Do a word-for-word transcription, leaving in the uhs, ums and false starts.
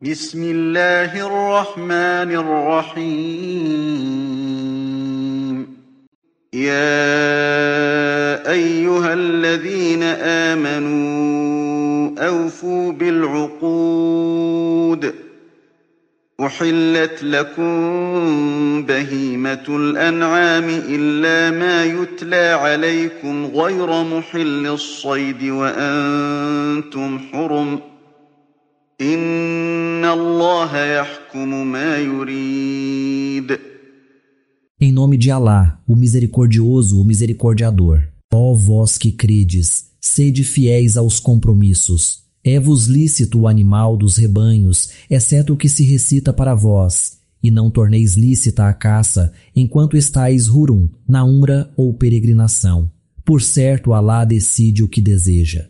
بسم الله الرحمن الرحيم يا أيها الذين آمنوا أوفوا بالعقود أحلت لكم بهيمة الأنعام إلا ما يتلى عليكم غير محل الصيد وأنتم حرم إن الله يحكم ما يريد. Em nome de Alá, o misericordioso, o misericordiador. Ó vós que credes, sede fiéis aos compromissos. É-vos lícito o animal dos rebanhos, exceto o que se recita para vós, e não torneis lícita a caça, enquanto estáis hurum, na umra ou peregrinação. Por certo, Alá decide o que deseja.